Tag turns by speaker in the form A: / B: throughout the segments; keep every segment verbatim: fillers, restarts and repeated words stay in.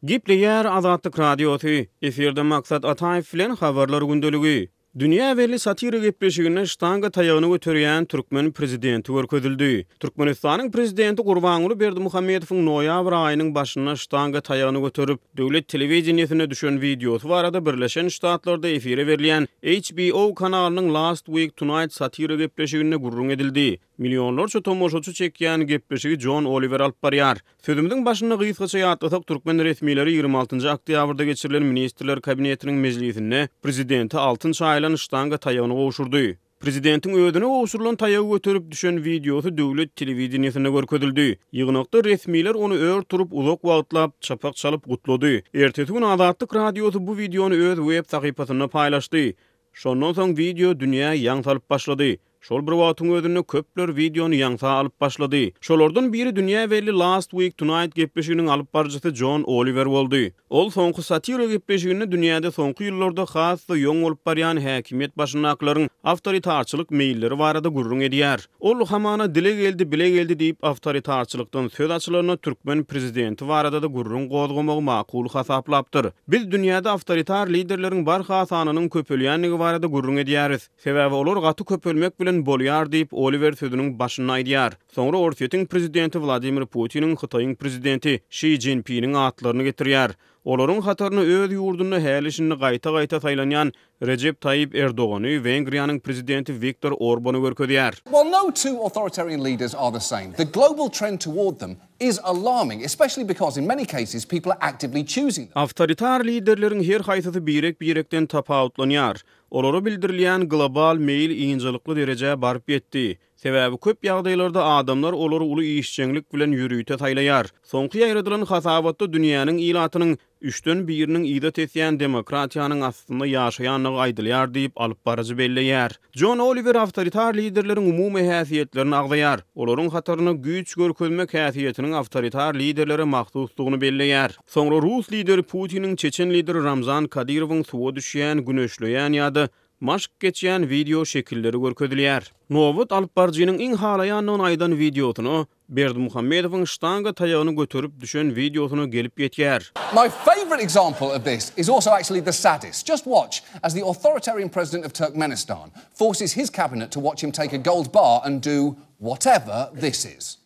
A: Gepleýär Azatlyk Radiosy, efirde Maksat Ataýew bilen Habarlar gündeligi. Dünýä belli satira gepleşiginde ştanga taýagyny göterýän türkmen prezidenti görkezildi. Türkmenistanyň prezidenti Gurbanguly Berdimuhamedowyň noýabr aýynyň başynda ştanga taýagyny göterip, döwlet telewideniýesinde düşen wideosy barada Birleşen Ştatlarda efire berilýän H B O kanalynyň Last Week Tonight satira gepleşiginde gürrüň edildi. Millionlarça tomaşaçy çekýän gepleşigi Jon Oliwer alyp barýar. Sözümiziň başynda gysgaça ýatlasak, türkmen resmileri ýigrimi altynjy oktýabrda geçirilen Ministrler Kabinetiniň mejlisinde prezidente altyn çaýylan ştanga taýagyny gowşurdy. Prezidentiň özüne gowşurylan taýagy göterip düşen wideosy döwlet telewideniýesinde görkezildi. Ýygnakda resmiler ony ör turup, uzak wagtlap çapak çalyp gutlady. Ertesi gün Azatlyk Radiosy bu wideony öz web sahypasynda paýlaşdy. Şondan soň wideo dünýä ýaň salyp başlady. Şol bir wagtyň özünde köpler wideony ýaňsa alyp başlady. Şolardan biri dünýä belli Last Week Tonight gepleşiginiň alyp baryjysy Jon Oliwer boldy. Ol soňky satira gepleşiginde dünýäde soňky ýyllarda has-da ýoň bolup barýan häkimiýet başyndakylaryň awtoritarçylyk meýilleri barada gürrüň edýär. Ol hamana dile geldi, bile geldi diýip, awtoritarçylykdan söz açylanda türkmen prezidenti barada-da gürrüň gozgamagy makul hasaplapdyr. Biz dünýäde awtoritar liderleriň barha sanynyň köpelýändigi barada gürrüň edýäris. Sebäbi olar gaty köpelmek bilen bolýar diýip, Oliwer sözüniň başynda aýdýar. Soňra Orsýetiň prezidenti Wladimir Putiniň, Hytaýyň prezidenti Şi Jinpiniň atlaryny getirýär. Olaryň hataryna öz ýurdunda häli-şindi gaýta-gaýta saýlanýan Rejep Taýyp Erdogany, Wengriýanyň prezidenti Wiktor Orbany görkezýär.
B: While no two authoritarian leaders are the same, the global trend toward them is alarming, especially because in many cases people are actively choosing them.
A: Awtoritar liderleriň her haýsysy birek-birekden tapawutlanýar. Olara bildirilýän global meýil ynjalykly derejä baryp ýetdi. Sebäbi köp ýagdaýlarda adamlar olary uly işjeňlik bilen ýörite saýlaýar. Soňky ýaýradylan hasabatda dünýäniň ilatynyň üçden biriniň yza tesýän demokratiýanyň astynda ýaşaýandygy aýdylýar diýip, alyp baryjy belleýär. Jon Oliwer awtoritar liderleriň umumy häsiýetlerini agzaýar. Olaryň hataryna güýç görkezmek häsiýetiniň awtoritar liderlere mahsusdygyny belleýär. Soňra rus lideri Putiniň, çeçen lideri Ramzan Kadyrowyň suwa düşýän, güneşleýän ýa-da maşk geçýän wideo şekilleri görkezilýär. Nobat alyp baryjynyň iň halaýandygyny aýdan wideosyna, Berdimuhamedowyň ştanga taýagyny göterip düşen wideosyna gelip ýetýär.
B: My favorite example of this is also actually the saddest. Just watch as the authoritarian president of Turkmenistan forces his cabinet to watch him take a gold bar and do whatever this is.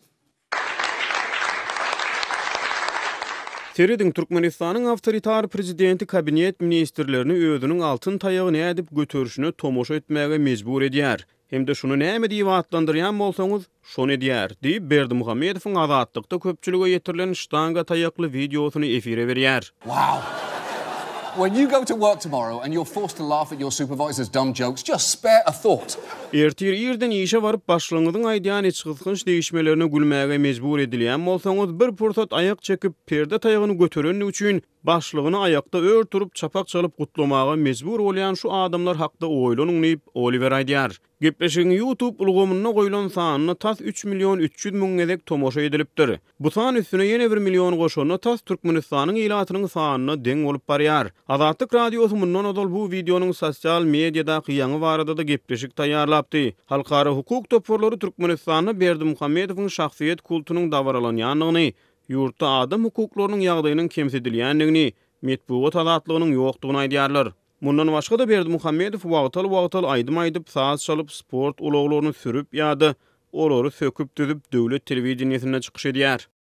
A: Serediň, Türkmenistanyň awtoritar prezidenti kabinet ministrlerini özüniň altyn taýagy nädip göterişine tomaşa etmäge mejbur edýär. Hem-de şuny näme diýip atlandyrýan bolsaňyz, şony edýär diýip, Berdimuhamedowyň Azatlykda köpçülige ýetirilen ştanga taýakly wideosyny efire berýär.
B: Wow. When you go to work tomorrow and you're forced to laugh at your supervisor's dumb jokes, just spare a thought.
A: Ertir irden işe baryp başlygyňyzyň aýdýan içgysgynç degişmelerine gülmäge mejbur edilýän bolsaňyz, bir pursat aýak çekip, perde taýagyny göterenligi üçin başlygyny aýakda ör turup çapak çalyp gutlamaga mejbur bolýan şu adamlar hakda oýlanyň diýip, Oliwer aýdýar. Gepleşigiň YouTube ulgamynda goýlan sanyna tas üç million üç ýüz müň gezek tomaşa edilipdir. Bu san üstüne ýene bir million goşanda tas Türkmenistanyň ilatynyň sanyna deň bolup barýar. Azatlyk Radiosy mundan ozal bu wideonyň sosial mediadaky ýaňy barada-da gepleşik taýýarlapdy. Halkara hukuk toparlary Türkmenistanda Berdimuhamedowyň şahsyýet kultunyň dabaralanýandygyny, ýurtda adam hukuklarynyň ýagdaýynyň kemsidilýändigini, metbugat azatlygynyň ýokdugyny aýdýarlar. Mundan başga-da Berdimuhamedow wagtal-wagtal aýdym aýdyp, saz çalyp, sport ulaglaryny sürüp ýa-da olary söküp düzüp döwlet telewideniýesinde çykyş edýär.